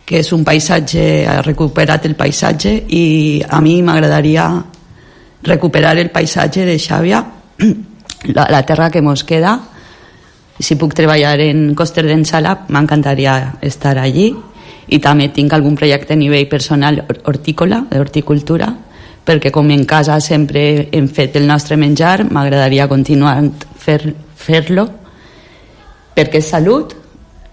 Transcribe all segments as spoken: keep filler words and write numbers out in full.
que és un paisatge, ha recuperat el paisatge, i a mi m'agradaria recuperar el paisatge de Xàbia, la, la terra que mos queda. Si puc treballar en Coster d'Ensala, m'encantaria estar allí, i també tinc algun projecte a nivell personal hortícola, d'horticultura, perquè com en casa sempre hem fet el nostre menjar, m'agradaria continuar fer, fer-lo, perquè és salut,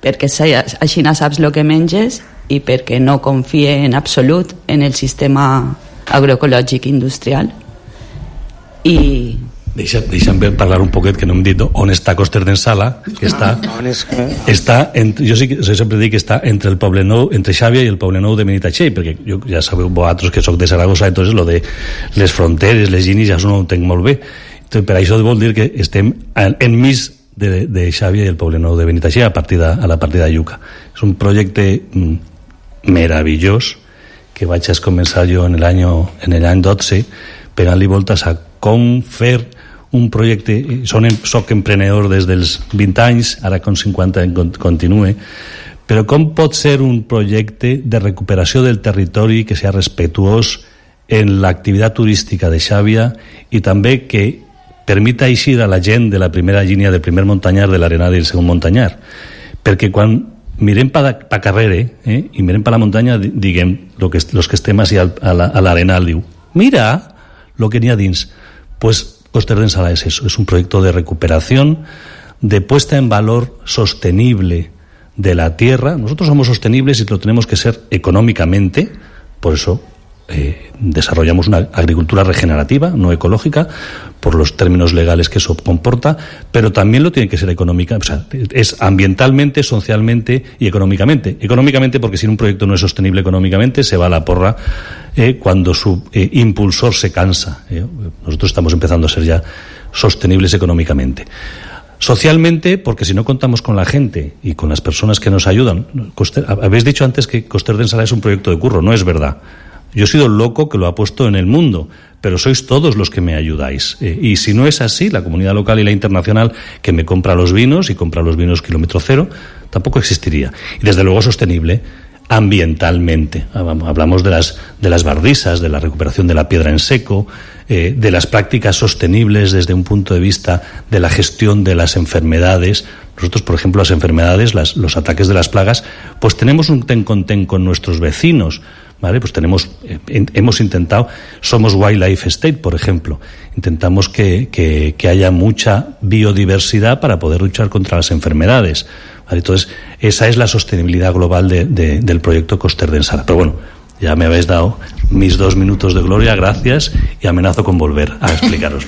perquè així no saps el que menges, i perquè no confie en absolut en el sistema agroecològic industrial. I Deixa, deixa'm parlar un poquet, que no hem dit on està Coster d'Ensala, que està, està entre, jo, sí que, jo sempre dic que està entre el Poble Nou, entre Xàbia i el Poble Nou de Benitatxell, perquè jo, ja sabeu vosaltres que soc de Saragossa, entonces lo de les fronteres, les llinis, ja no ho entenc molt bé. Entonces, per això vol dir que estem enmig de, de Xàbia i el Poble Nou de Benitatxell, a, partida, a la partida de Lluca. És un projecte mm, meravellós que vaig a començar jo en l'any en l'any dotze, pegant-li voltes a com fer un projecte. Son, soc emprenedor des dels vint anys, ara con cinquanta continue, però com pot ser un projecte de recuperació del territori que sigui respectuós en l'activitat turística de Xàbia i també que permita eixir a la gent de la primera línia del primer muntanyar, de l'Arenal i el segon muntanyar, perquè quan mirem pa, pa carrere eh, i mirem pa la muntanya, diguem, lo que, los que estem així a l'Arenal, diu, mira lo que n'hi ha dins. Pues Coster d'Ensala es eso, es un proyecto de recuperación, de puesta en valor sostenible de la tierra. Nosotros somos sostenibles y lo tenemos que ser económicamente, por eso eh, desarrollamos una agricultura regenerativa, no ecológica, por los términos legales que eso comporta, pero también lo tiene que ser económica, o sea, es ambientalmente, socialmente y económicamente. Económicamente porque si un proyecto no es sostenible económicamente se va a la porra eh, cuando su eh, impulsor se cansa. Eh. Nosotros estamos empezando a ser ya sostenibles económicamente. Socialmente, porque si no contamos con la gente y con las personas que nos ayudan. Coster, habéis dicho antes que Coster d'Ensala es un proyecto de curro, no es verdad. Yo he sido el loco que lo ha puesto en el mundo, pero sois todos los que me ayudáis. Eh, y si no es así, la comunidad local y la internacional que me compra los vinos y compra los vinos kilómetro cero, tampoco existiría. Y desde luego sostenible ambientalmente. Hablamos de las, de las bardisas, de la recuperación de la piedra en seco, eh, de las prácticas sostenibles desde un punto de vista de la gestión de las enfermedades. Nosotros, por ejemplo, las enfermedades, las, los ataques de las plagas, pues tenemos un ten con ten con nuestros vecinos. ¿Vale? Pues tenemos, eh, hemos intentado, somos Wildlife State, por ejemplo, intentamos que, que, que haya mucha biodiversidad para poder luchar contra las enfermedades. ¿Vale? Entonces, esa es la sostenibilidad global de, de, del proyecto Coster d'Ensala. Pero bueno, ya me habéis dado mis dos minutos de gloria, gracias, y amenazo con volver a explicaros.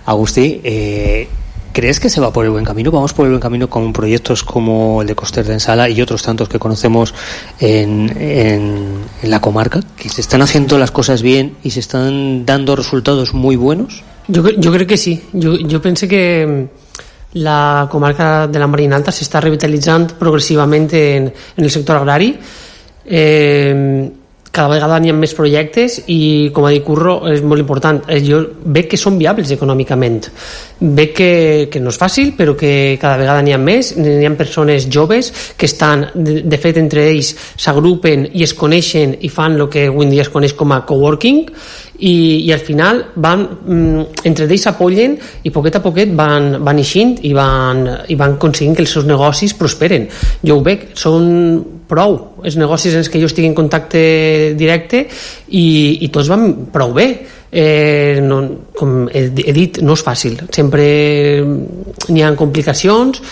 Agustí, eh... ¿crees que se va por el buen camino? ¿Vamos por el buen camino con proyectos como el de Coster d'Ensala y otros tantos que conocemos en, en, en la comarca? ¿Que se están haciendo las cosas bien y se están dando resultados muy buenos? Yo, yo creo que sí. Yo, yo pensé que la comarca de la Marina Alta se está revitalitzant progressivament en, en el sector agrari. Eh, cada vegada n'hi ha més projectes i, com ha dit Curro, és molt important. Jo veig que són viables econòmicament. Veig que, que no és fàcil, però que cada vegada n'hi ha més. N'hi ha persones joves que estan, de, de fet, entre ells s'agrupen i es coneixen i fan el que avui en dia es coneix com a coworking, i, i al final van, entre ells s'apoyen i poquet a poquet van, van eixint i van, i van aconseguint que els seus negocis prosperen. Jo ho veig, són prou els negocis en els que jo estic en contacte directe i, i tots van prou bé. Eh, no, com he, he dit, no és fàcil, sempre n'hi ha complicacions,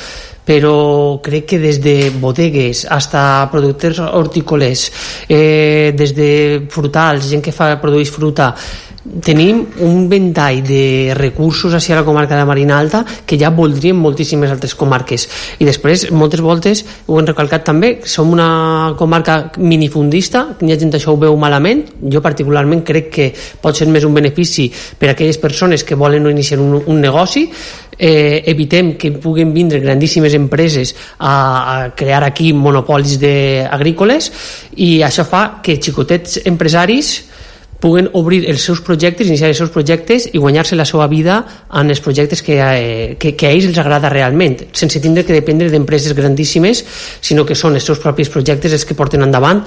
però crec que des de bodegues hasta productors hortícoles, eh, des de frutals, gent que fa, produeix fruta, tenim un ventall de recursos hacia la comarca de la Marina Alta que ja voldrien moltíssimes altres comarques. I després, moltes voltes, ho hem recalcat també, som una comarca minifundista, hi ha gent això ho veu malament. Jo particularment crec que pot ser més un benefici per a aquelles persones que volen iniciar un, un negoci. Eh, evitem que puguen vindre grandíssimes empreses a, a crear aquí monopolis de agrícoles, i això fa que xicotets empresaris puguen obrir els seus projectes, iniciar els seus projectes i guanyar-se la seva vida en els projectes que, eh, que, que a ells els agrada realment, sense tindre que dependre d'empreses grandíssimes, sinó que són els seus propis projectes els que porten endavant